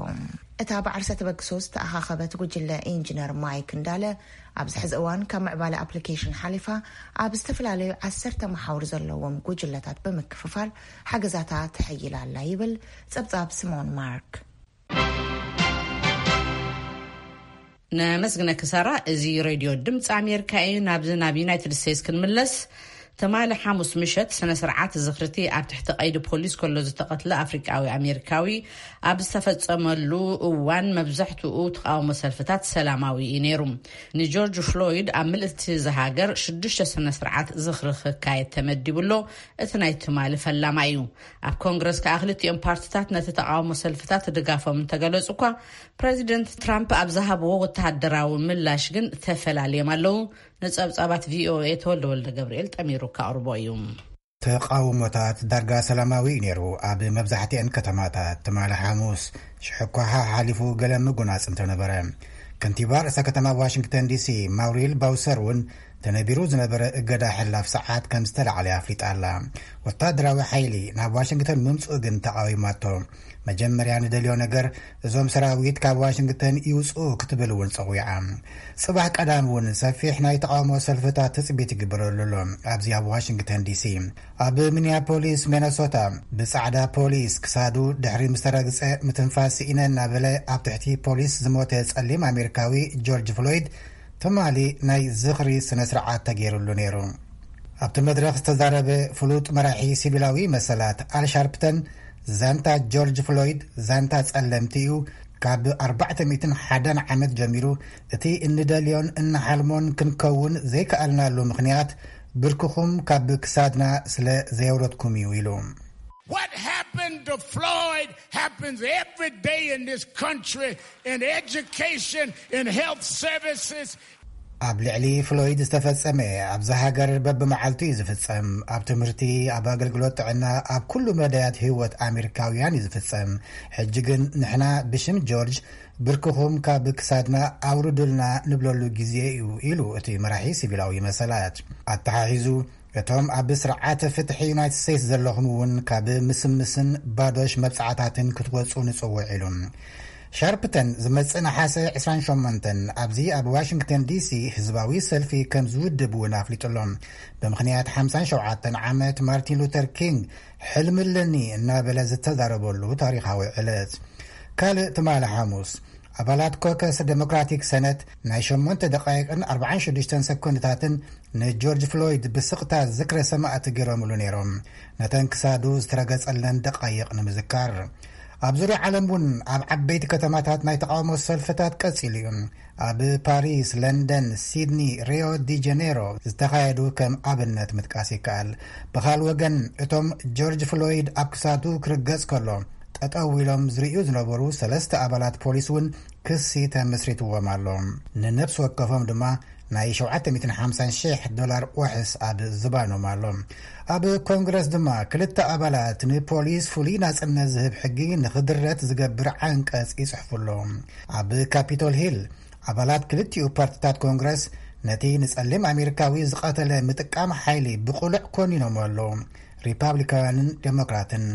እታ ብዓርሰ ተበግሶ ዝተኣኻኸበት ጉጅለ ኢንጂነር ማይክ እንዳለ ኣብዚ ሕዚ እዋን ካብ ምዕባለ ኣፕሊኬሽን ሓሊፋ ኣብ ዝተፈላለዩ ዓሰርተ መሓውር ዘለዎም ጉጅለታት ብምክፍፋል ሓገዛታ ተሐይላ ኣላ ይብል ጸብጻብ ስሞን ማርክ። ነመስግነኪ ሳራ። እዚ ሬድዮ ድምፂ ኣሜሪካ እዩ። ናብዚ ናብ ዩናይትድ ስቴትስ ክንምለስ። ትማሊ ሓሙስ ምሸት ስነ ስርዓት ዝኽርቲ ኣብ ትሕቲ ቀይዲ ፖሊስ ከሎ ዝተቐትለ ኣፍሪቃዊ ኣሜሪካዊ ኣብ ዝተፈጸመሉ እዋን መብዛሕትኡ ተቃውሞ ሰልፍታት ሰላማዊ እዩ ነይሩ። ንጆርጅ ፍሎይድ ኣብ ምልእቲ ዝሃገር ሽዱሽተ ስነ ስርዓት ዝኽሪ ክካየድ ተመዲቡ ኣሎ። እቲ ናይ ትማሊ ፈላማ እዩ። ኣብ ኮንግረስ ከኣ ክልቲኦም ፓርትታት ነቲ ተቃውሞ ሰልፍታት ድጋፎም እንተገለጹ እኳ ፕረዚደንት ትራምፕ ኣብ ዝሃብዎ ወተሃደራዊ ምላሽ ግን ተፈላልዮም ኣለዉ። ንጸብጻባት ቪኦኤ ተወልደ ወልደ ገብርኤል ጠሚሩ ከቕርቦ እዩ። ተቓውሞታት ዳርጋ ሰላማዊ እዩ ነይሩ። ኣብ መብዛሕትአን ከተማታት ትማሊ ሓሙስ ሽሕኳ ሓሓሊፉ ገለ ምጉናጽ እንተነበረ፣ ከንቲባ ርእሰ ከተማ ዋሽንግተን ዲሲ ማውሪል ባውሰር እውን ተነቢሩ ዝነበረ እገዳ ሕላፍ ሰዓት ከም ዝተላዕለ ኣፍሊጣ ኣላ። ወታደራዊ ሓይሊ ናብ ዋሽንግተን ምምፅኡ ግን ተቓዊማቶ። መጀመርያ ንደልዮ ነገር እዞም ሰራዊት ካብ ዋሽንግተን ይውፅኡ ክትብል እውን ፀዊዓ። ፅባሕ ቀዳም እውን ሰፊሕ ናይ ተቓውሞ ሰልፍታት ትፅቢት ይግበረሉ ኣሎ። ኣብዚ ኣብ ዋሽንግተን ዲሲ ኣብ ሚኒያፖሊስ ሚነሶታ ብፃዕዳ ፖሊስ ክሳዱ ድሕሪ ምስ ተረግፀ ምትንፋስ ስኢነ እናበለ ኣብ ትሕቲ ፖሊስ ዝሞተ ፀሊም ኣሜሪካዊ ጆርጅ ፍሎይድ ትማሊ ናይ ዝኽሪ ስነ ስርዓት ተገይሩሉ ነይሩ። ኣብቲ መድረኽ ዝተዛረበ ፍሉጥ መራሒ ሲቪላዊ መሰላት ኣል ሻርፕተን ዛንታ ጆርጅ ፍሎይድ ዛንታ ጸለምቲ እዩ። ካብ ኣርባዕተ ሚእትን ሓደን ዓመት ጀሚሩ እቲ እንደልዮን እንሓልሞን ክንከውን ዘይከኣልናሉ ምኽንያት ብርክኹም ካብ ክሳድና ስለ ዘየውረድኩም እዩ ኢሉ። What happened to Floyd happens every day in this country, in education, in health services. ኣብ ልዕሊ ፍሎይድ ዝተፈጸመ ኣብዚ ሃገር በብመዓልቱ እዩ ዝፍጸም። ኣብ ትምህርቲ፣ ኣብ ኣገልግሎት ጥዕና፣ ኣብ ኩሉ መዳያት ህይወት ኣሜሪካውያን እዩ ዝፍጸም። ሕጂ ግን ንሕና ብሽም ጆርጅ ብርክኹም ካብ ክሳድና ኣውርዱልና ንብለሉ ግዜ እዩ ኢሉ እቲ መራሒ ሲቪላዊ መሰላት። ኣተሓሒዙ እቶም ኣብ ስርዓተ ፍትሒ ዩናይትድ ስቴትስ ዘለኹም እውን ካብ ምስምስን ባዶሽ መብጻዕታትን ክትወጹ ንጽውዕ ኢሉ። ሻርፕተን ዝመጽእ ነሓሰ ዕስራን ሸሞንተን ኣብዚ ኣብ ዋሽንግተን ዲሲ ህዝባዊ ሰልፊ ከም ዝውድብ እውን ኣፍሊጡ ኣሎ። ብምኽንያት ሓምሳን ሸውዓተን ዓመት ማርቲን ሉተር ኪንግ ሕልሚ ኣለኒ እናበለ ዝተዛረበሉ ታሪኻዊ ዕለት። ካልእ ትማሊ ሓሙስ ኣባላት ኮከስ ዴሞክራቲክ ሰነት ናይ ሸሞንተ ደቃይቅን ኣርባዓን ሽዱሽተን ሰኮንድታትን ንጆርጅ ፍሎይድ ብስቕታ ዝክረ ሰማእቲ ገይሮምሉ ነይሮም። ነተን ክሳዱ ዝተረገጸለን ደቃይቕ ንምዝካር። ኣብ ዙርያ ዓለም እውን ኣብ ዓበይቲ ከተማታት ናይ ተቃውሞ ሰልፍታት ቀጺሉ እዩ። ኣብ ፓሪስ፣ ለንደን፣ ሲድኒ፣ ሪዮ ዲ ጀኔሮ ዝተኻየዱ ከም ኣብነት ምጥቃስ ይከኣል። ብኻል ወገን እቶም ጆርጅ ፍሎይድ ኣብ ክሳዱ ክርገጽ ከሎ ጠጠው ኢሎም ዝርእዩ ዝነበሩ ሰለስተ ኣባላት ፖሊስ እውን ክሲ ተመስሪትዎም ኣሎ። ንነብሲ ወከፎም ድማ ናይ ሸውዓተ ሚእትን ሓምሳን ሺሕ ዶላር ዋሕስ ኣብ ዝባኖም ኣሎ። ኣብ ኮንግረስ ድማ ክልተ ኣባላት ንፖሊስ ፍሉይ ናጽነት ዝህብ ሕጊ ንኽድረት ዝገብር ዓንቀጽ ይጽሕፉ ኣለዉ። ኣብ ካፒቶል ሂል ኣባላት ክልቲኡ ፓርቲታት ኮንግረስ ነቲ ንጸሊም ኣሜሪካዊ ዝቐተለ ምጥቃም ሓይሊ ብቕሉዕ ኮኒኖም ኣለዉ። ሪፓብሊካውያንን ዴሞክራትን።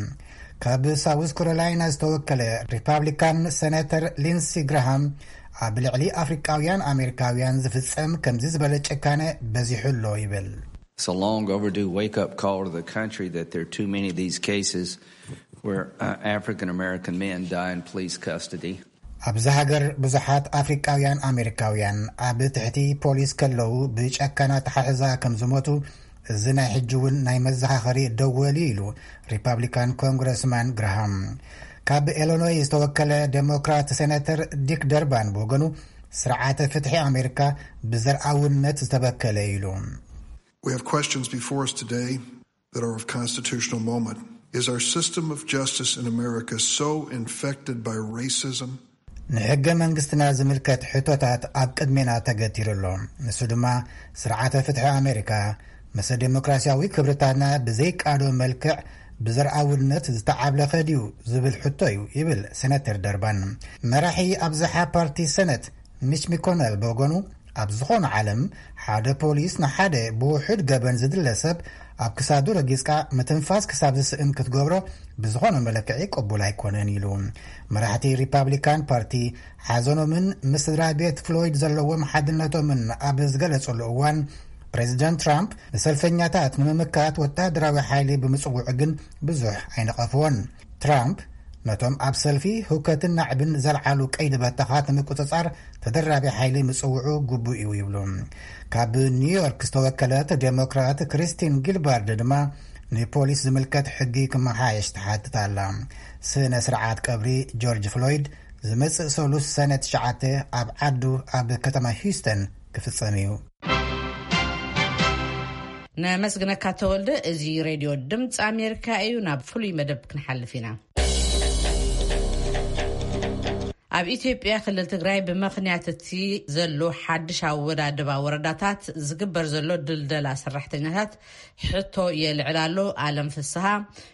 ካብ ሳውዝ ካሮላይና ዝተወከለ ሪፓብሊካን ሰነተር ሊንሲ ግራሃም ኣብ ልዕሊ ኣፍሪቃውያን ኣሜሪካውያን ዝፍጸም ከምዚ ዝበለ ጭካነ በዚሑ ኣሎ ይብል። It's a long overdue wake-up call to the country that there are too many of these cases where uh, African American men die in police custody. ኣብዚ ሃገር ብዙሓት ኣፍሪቃውያን ኣሜሪካውያን ኣብ ትሕቲ ፖሊስ ከለዉ ብጨካን ኣተሓሕዛ ከም ዝሞቱ እዚ ናይ ሕጂ እውን ናይ መዘኻኸሪ ደወል እዩ ኢሉ ሪፓብሊካን ኮንግረስማን ግራሃም። ካብ ኢሎኖይ ዝተወከለ ዴሞክራት ሴናተር ዲክ ደርባን ብወገኑ ስርዓተ ፍትሒ ኣሜሪካ ብዘርኣውነት ዝተበከለ እዩ ኢሉ። We have questions before us today that are of constitutional moment. Is our system of justice in America so infected by racism? ንሕገ መንግስትና ዝምልከት ሕቶታት ኣብ ቅድሜና ተገቲሩ ኣሎ። ንሱ ድማ ስርዓተ ፍትሒ ኣሜሪካ ምስ ዴሞክራሲያዊ ክብርታትና ብዘይቃዶ መልክዕ ብዘርኣውነት ዝተዓብለኸ ድዩ ዝብል ሕቶ እዩ ይብል ሴናተር ደርባን። መራሒ ኣብዝሓ ፓርቲ ሰነት ሚች ሚኮነል ብወገኑ ኣብ ዝኾነ ዓለም ሓደ ፖሊስ ንሓደ ብውሑድ ገበን ዝድለ ሰብ ኣብ ክሳዱ ረጊጽካ ምትንፋስ ክሳብ ዝስእን ክትገብሮ ብዝኾነ መለክዒ ቅቡል ኣይኮነን ኢሉ። መራሕቲ ሪፓብሊካን ፓርቲ ሓዘኖምን ምስ ስድራ ቤት ፍሎይድ ዘለዎም ሓድነቶምን ኣብ ዝገለጹሉ እዋን ፕሬዚደንት ትራምፕ ንሰልፈኛታት ንምምካት ወታደራዊ ሓይሊ ብምጽውዑ ግን ብዙሕ ኣይነቐፍዎን። ትራምፕ ነቶም ኣብ ሰልፊ ህውከትን ናዕብን ዘልዓሉ ቀይዲ በተኻት ንምቁጽጻር ተደራቢ ሓይሊ ምጽውዑ ግቡእ እዩ ይብሉ። ካብ ኒውዮርክ ዝተወከለት ዴሞክራት ክሪስቲን ጊልባርድ ድማ ንፖሊስ ዝምልከት ሕጊ ክመሓየሽ ትሓትት ኣላ። ስነ ስርዓት ቀብሪ ጆርጅ ፍሎይድ ዝመጽእ ሰሉስ ሰነ ትሽዓተ ኣብ ዓዱ ኣብ ከተማ ሂውስተን ክፍጸም እዩ። ነመስግነካ ተወልደ። እዚ ሬድዮ ድምፂ ኣሜሪካ እዩ። ናብ ፍሉይ መደብ ክንሓልፍ ኢና። ኣብ ኢትዮጵያ ክልል ትግራይ ብመኽንያት እቲ ዘሎ ሓድሽ ኣወዳድባ ወረዳታት ዝግበር ዘሎ ድልደላ ሰራሕተኛታት ሕቶ የልዕል ኣሎ። ኣለም ፍስሃ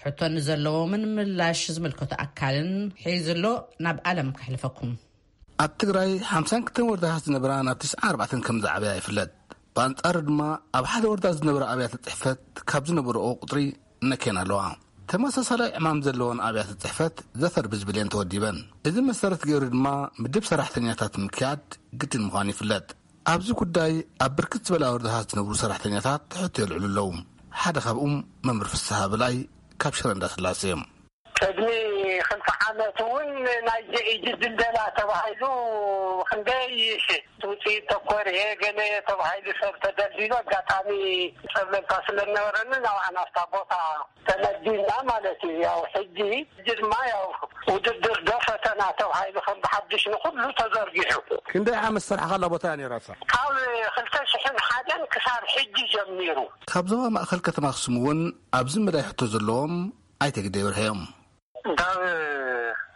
ሕቶ ንዘለዎምን ምላሽ ዝምልከቶ ኣካልን ሒዙ ኣሎ። ናብ ኣለም ከሕልፈኩም። ኣብ ትግራይ ሓምሳን ክልተን ወረዳታት ዝነበራ ናብ ትስዓን ኣርባዕተን ከም ዝዓበያ ይፍለጥ። ብኣንጻሩ ድማ ኣብ ሓደ ወረዳ ዝነበራ ኣብያተ ጽሕፈት ካብ ዝነበረኦ ቁጽሪ ነክየን ኣለዋ። ተመሳሳላይ ዕማም ዘለወን ኣብያተ ጽሕፈት ዘፈር ብዝብል እየን ተወዲበን። እዚ መሰረት ገይሩ ድማ ምድብ ሰራሕተኛታት ምክያድ ግድን ምዃኑ ይፍለጥ። ኣብዚ ጉዳይ ኣብ ብርክት ዝበላ ወረዳታት ዝነብሩ ሰራሕተኛታት ሕቶ የልዕሉ ኣለዉ። ሓደ ካብኡም መምህር ፍስሃ በላይ ካብ ሽረ እንዳስላሴ እዮም። ቅድሚ ክልተ ዓመት እውን ናይዚ ሕጂ ድልደላ ተባሂሉ ክንደይ ሽሕ ውፅኢት ተኮር ይሄ ገለ ተባሂሉ ሰብ ተደልዲሉ ኣጋጣሚ ፀብለልታ ስለነበረኒ ናብኣ ናብታ ቦታ ተመዲብና ማለት እዩ። ያው ሕጂ ሕጂ ድማ ያው ውድድር ዶ ፈተና ተባሂሉ ከም ብሓድሽ ንኩሉ ተዘርጊሑ። ክንደይ ዓመት ዝሰርሓ ካላ ቦታ እያ ነይራ እሳ? ካብ ክልተ ሽሕን ሓደን ክሳብ ሕጂ ጀሚሩ። ካብ ዞባ ማእኸል ከተማ ኣክሱም እውን ኣብዚ መዳይ ሕቶ ዘለዎም ኣይተ ግደይ በርሀ እዮም። ካብ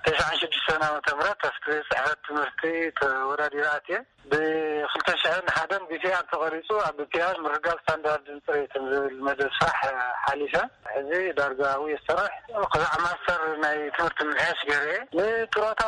ተስዓን ሽዱሽተን ዓመተ ምህረት ኣብቲ ቤት ጽሕፈት ትምህርቲ ተወዳዲረ ኣትየ። ብክልተ ሽሕን ሓደን ቢፒኣር ተቐሪጹ ኣብ ቢፒኣር ምርጋብ ስታንዳርድን ጽሬትን ዝብል መደብ ስራሕ ሓሊፈ። ሕዚ ዳርጋ ኣብኡ እየ ዝሰርሕ። ክሳዕ ማስተር ናይ ትምህርቲ ምምሕያሽ ገይረ እየ። ንጥሮታ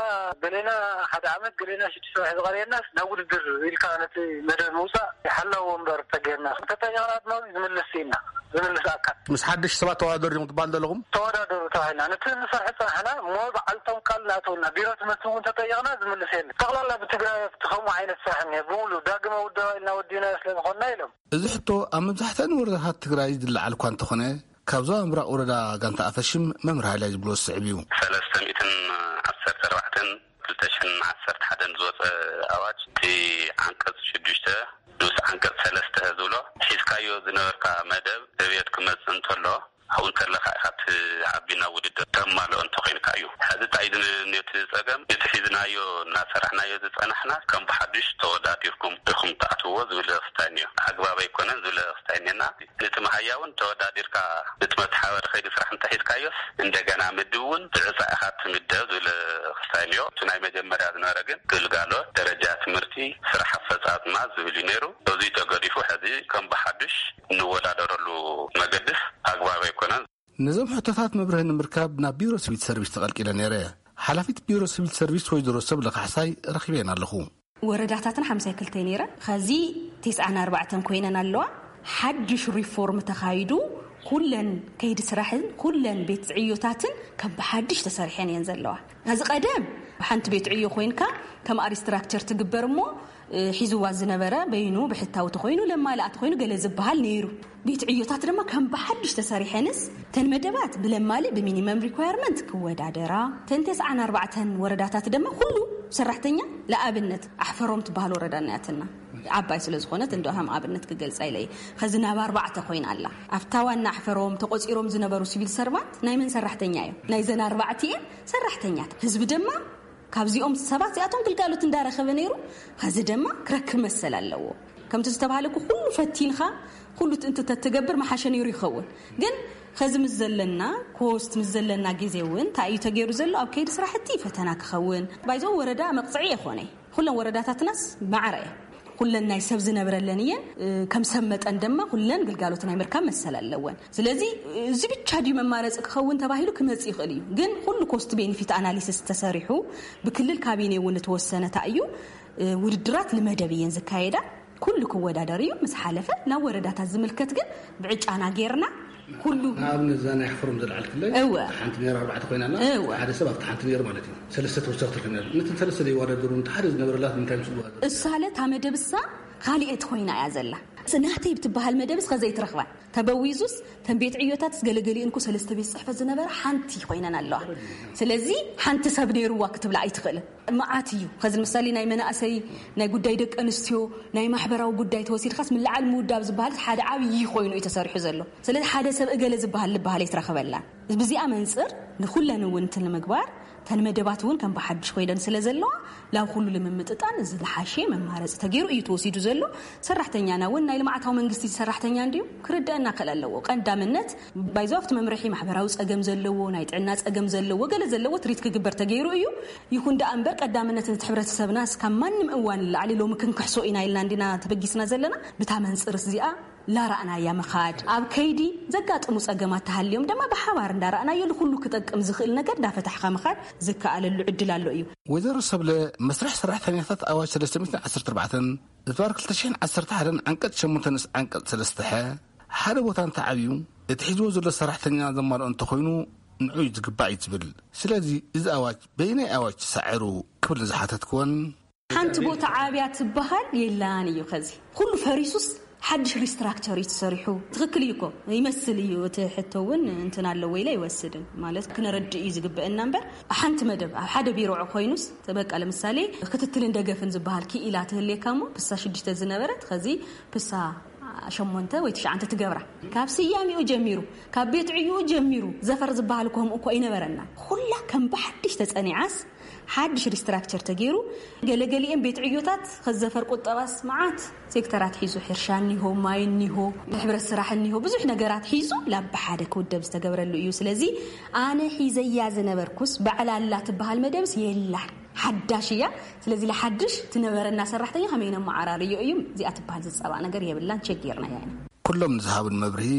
ገሌና ሓደ ዓመት ገሌና ሽዱሽተ ወርሒ ዝቐረየናስ ናብ ውድድር ኢልካ ነቲ መደብ ምውጻእ ሓላው ወንበር ተገይርና። እንተጠየቕና ድማ ዝምልስ ስኢንና። ዝምልስ ኣካል። ምስ ሓድሽ ሰባት ተወዳደሩ ዲኹም ትበሃል ዘለኹም? ተወዳደሩ ተባሂልና፣ ነቲ ንሰርሕ ዝጸናሕና እሞ በዓልቶም ቃል እናእተውና፣ ቢሮ ትምህርቲ እውን ተጠየቕና ዝምልስ የለን። ጠቕላላ ብትግራይ ከምኡ ዓይነት ስራሕ እኒሀ፣ ብምሉእ ዳግመ ውደባ ኢልና ወዲእናዮ ስለ ዝኾንና ኢሎም። እዚ ሕቶ ኣብ መብዛሕትአን ወረዳታት ትግራይ ዝለዓል እኳ እንተኾነ፣ ካብ ዞባ ምብራቕ ወረዳ ጋንታ ኣፈሽም መምህር ሃይላይ ዝብሎ ዝስዕብ እዩ። ሰለስተ ሚእትን ዓሰርተ ኣርባዕተን ክልተ ሽሕን ዓሰርተ ሓደን ዝወፀ ኣዋጅ፣ እቲ ዓንቀፅ ሽዱሽተ ንኡስ ዓንቀፅ ሰለስተ ዝብሎ፣ ሒዝካዮ ዝነበርካ መደብ ዕብየት ክመፅእ እንተሎ፣ ኣብኡ እንተለኻ ኢኻ እቲ ዓቢና ውድድር ተማልኦ እንተኾይንካ እዩ። ሕዚ እንታይ እዩ ነቲ ፀገም? እቲ ሒዝናዮ እናሰራሕናዮ ዝፀናሕና ከም ብሓዱሽ ተወዳዲርኩም ኢኹም ትኣትውዎ ዝብል ክስታይ እኒኦ። ኣግባብ ኣይኮነን ዝብል ክስታይ እኒና። ነቲ መሃያ እውን ተወዳዲርካ እቲ መተሓባበሪ ከይዲ ስራሕ እንተሒዝካዮስ፣ እንደገና ምድብ እውን ብዕፃ ኢኻ ትምደብ ዝብል ክስታይ እኒኦ። እቲ ናይ መጀመርያ ዝነበረ ግን ግልጋሎት፣ ደረጃ ትምህርቲ፣ ስራሕ ኣፈፃፅማ ዝብል እዩ ነይሩ። እዚ ተገዲፉ ሕዚ ከም ብሓዱሽ እንወዳደረሉ መገድስ ኣግባብ ኣይኮነን። ነዞም ሕቶታት መብርሂ ንምርካብ ናብ ቢሮ ሲቪል ሰርቪስ ተቐልቂለ ነይረ። ሓላፊት ቢሮ ሲቪል ሰርቪስ ወይዘሮ ሰብለ ካሕሳይ ረኺበን ኣለኹ። ወረዳታትና ሓምሳይ ክልተ ነይረን፣ ኸዚ ተስዓን ኣርባዕተን ኮይነን ኣለዋ። ሓድሽ ሪፎርም ተኻይዱ፣ ኩለን ከይዲ ስራሕን ኩለን ቤት ዕዮታትን ከም ብሓድሽ ተሰሪሐን እየን ዘለዋ። እዚ ቀደም ሓንቲ ቤት ዕዮ ኮይንካ ከም ኣሪስትራክቸር ትግበር እሞ፣ እ፣ ሒዝዋ ዝነበረ በይኑ ብሕታዊ ተኾይኑ ለማልኣ ተኾይኑ ገለ ዝበሃል ነይሩ። ቤት ዕዮታት ድማ ከም ብሓድሽ ተሰሪሐንስ፣ ተን መደባት ብለማሊ ብሚኒመም ሪኳየርመንት ክወዳደራ፣ ተን ተስዓን ኣርባዕተን ወረዳታት ድማ ኩሉ ሰራሕተኛ፣ ለኣብነት ኣሕፈሮም ትበሃል ወረዳ ናያትና፣ ዓባይ ስለ ዝኾነት እንዶ ከም ኣብነት ክገልጻ ኢለ እየ። ኸዚ ናብ ኣርባዕተ ኮይና ኣላ። ኣብታ ዋና ኣሕፈሮም ተቆጺሮም ዝነበሩ ሲቪል ሰርቫንት ናይ መን ሰራሕተኛ እዮም? ናይዘን ኣርባዕቲኤን ሰራሕተኛታት። ህዝቢ ድማ ካብዚኦም ሰባት እዚኣቶም ግልጋሎት እንዳረኸበ ነይሩ። ኸዚ ድማ ክረክብ መሰል ኣለዎ። ከምቲ ዝተባሃለኩ ኩሉ ፈቲንኻ፣ ኩሉ እንተ ተትገብር መሓሸ ነይሩ ይኸውን። ግን ኸዚ ምስ ዘለና ኮስት፣ ምስ ዘለና ግዜ እውን እንታይ እዩ ተገይሩ ዘሎ? ኣብ ከይዲ ስራሕቲ ፈተና ክኸውን። ባይዞ ወረዳ መቕጽዒ የኾነ። ኩለን ወረዳታትናስ ማዕረ እየን። ኩለን ናይ ሰብ ዝነብረለን እየን። እ፣ ከም ሰብ መጠን ድማ ኩለን ግልጋሎት ናይ ምርካብ መሰል ኣለወን። ስለዚ እዚ ብቻ ድዩ መማረፂ ክኸውን ተባሂሉ ክመጽእ ይኽእል እዩ። ግን ኩሉ ኮስት ቤኒፊት ኣናሊሲስ ተሰሪሑ፣ ብክልል ካቢኔ እውን ዝተወሰነ እንታይ እዩ፣ እ፣ ውድድራት ንመደብ እየን ዝካየዳ። ኩሉ ክወዳደር እዩ። ምስ ሓለፈ ናብ ወረዳታት ዝምልከት ግን ብዕጫና ጌርና ኩሉ ንኣብነት እዛ ናይ ኣሕፈሮም ዘልዓልክለይ እወ። ሓንቲ ነይራ ኣርባዕተ ኮይና ኣላ። እወ። ሓደ ሰብ ኣብቲ ሓንቲ ነይሩ ማለት እዩ። ሰለስተ ተወሳኺ ትረክብ ነይሩ። ነተን ሰለስተ ዘይወዳደሩ፣ እንተ ሓደ ዝነበረላት ንምንታይ ምስ ዝወዳደሩ? እሳለ እታ መደብ እሳ ካልኤት ኮይና እያ ዘላ። ስ-፣ ናተይ ብትበሃል መደብስ ኸዘይትረኽባ ተበዊዙስ፣ ተን ቤት ዕዮታትስ ገለገሊኡን እኮ ሰለስተ ቤት ጽሕፈት ዝነበረ ሓንቲ ኮይነን ኣለዋ። ስለዚ ሓንቲ ሰብ ነይርዋ ክትብላ ኣይትኽእልን። መዓት እዩ። ኸዚ ንምሳሌ ናይ መናእሰይ፣ ናይ ጉዳይ ደቂ ኣንስትዮ፣ ናይ ማሕበራዊ ጉዳይ ተወሲድካስ፣ ምልዓል ምውዳብ ዝበሃል ሓደ ዓብዪ ኮይኑ እዩ ተሰሪሑ ዘሎ። ስለዚ ሓደ ሰብ እገለ ዝበሃል ዝበሃል ኣይትረኽበላን። ብዚኣ መንጽር ንኹለን እውን እንትን ንምግባር፣ ተን መደባት እውን ከም ብሓድሽ ኮይነን ስለ ዘለዋ፣ ላብ ኩሉ ንምምጥጣን እዚ ዝሓሸ መማረፂ ተገይሩ እዩ ተወሲዱ ዘሎ። ሰራሕተኛና እውን ናይ ልምዓታዊ መንግስቲ ሰራሕተኛ እንድዩ ክርደአና ክእል ኣለዎ። ቀዳምነት ባይዞ ኣብቲ መምርሒ ማሕበራዊ ጸገም ዘለዎ፣ ናይ ጥዕና ጸገም ዘለዎ፣ ገለ ዘለዎ ትሪት ክግበር ተገይሩ እዩ። ይኹን ደኣ እምበር ቀዳምነት ነቲ ሕብረተሰብና እስካብ ማንም እዋን ንላዕሊ ሎሚ ክንክሕሶ ኢና ኢልና እንዲና ተበጊስና ዘለና። ብታ መንጽር እዚኣ ላራእናያ ምኻድ፣ ኣብ ከይዲ ዘጋጥሙ ጸገማት ተሃልዮም ድማ ብሓባር እንዳራእናዮ ንኹሉ ክጠቅም ዝኽእል ነገር እንዳፈታሕካ ምኻድ ዝከኣለሉ ዕድል ኣሎ እዩ። ወይዘሮ ሰብለ፣ መስርሕ ሰራሕተኛታት ኣዋጅ ሰለስተ ሚእትን ዓሰርተ ኣርባዕተን ዝባር ክልተ ሽሕን ዓሰርተ ሓደን ዓንቀጽ ሸሞንተ ንኡስ ዓንቀጽ ሰለስተ ሐ ሓደ ቦታ እንተዓብዩ፣ እቲ ሒዝዎ ዘሎ ሰራሕተኛ ዘማልኦ እንተኾይኑ ንዑ እዩ ዝግባእ እዩ ትብል። ስለዚ እዚ ኣዋጅ በየናይ ኣዋጅ ተሳዒሩ ክብል ንዝሓተትክወን፣ ሓንቲ ቦታ ዓብያ ትበሃል የላን እዩ። ኸዚ ኩሉ ፈሪሱስ ሓድሽ ሪስትራክቸር እዩ ተሰሪሑ። ትኽክል እዩ እኮ ይመስል እዩ። እቲ ሕቶ እውን እንትን ኣለዎ ኢለ ኣይወስድን። ማለት ክነረድእ እዩ ዝግበአና እምበር፣ ሓንቲ መደብ ኣብ ሓደ ቢሮ ኮይኑስ በቃ ለምሳሌ ክትትልን ደገፍን ዝበሃል ክኢላ ትህልየካ እሞ ፕሳ ሽዱሽተ ዝነበረት ኸዚ ፕሳ ሸሞንተ ወይ ትሽዓንተ ትገብራ። ካብ ስያሜኡ ጀሚሩ፣ ካብ ቤት ዕዩኡ ጀሚሩ ዘፈር ዝበሃል እኮ ከምኡ እኮ ኣይነበረና። ኩላ ከም ብሓድሽ ተጸኒዓስ ሓድሽ ሪስትራክቸር ተገይሩ፣ ገለገሊኤን ቤት ዕዮታት ኸዘፈር ቁጠባስ መዓት ሴክተራት ሒዙ፣ ሕርሻ እኒሆ፣ ማይ እኒሆ፣ ሕብረት ስራሕ እኒሆ፣ ብዙሕ ነገራት ሒዙ ላብ ሓደ ክውደብ ዝተገብረሉ እዩ። ስለዚ ኣነ ሒዘያ ዝነበርኩስ ባዕላ ኣላ ትበሃል መደብስ የላን፣ ሓዳሽ እያ። ስለዚ ለሓድሽ ትነበረና ሰራሕተኛ ከመይ ነመዓራርዮ እዩ። እዚኣ ትበሃል ዝፀባእ ነገር የብላን፣ ቸክ ጌርናያ ኢና። ኩሎም ንዝሃቡን መብርሂ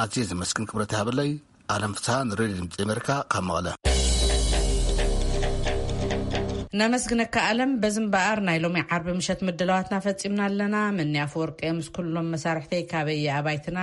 ኣዝየ ዘመስግን። ክብረት ይሃበለይ። ኣለም ፍስሃ ንሬድዮ ድምፂ ኣሜሪካ ካብ መቐለ። ነመስግነካ ኣለም። በዚ እምበኣር ናይ ሎሚ ዓርቢ ምሸት ምድላዋትና ፈጺምና ኣለና። መኒ ኣፈወርቂ ምስ ኩሎም መሳርሕተይ ካበይ ኣባይትና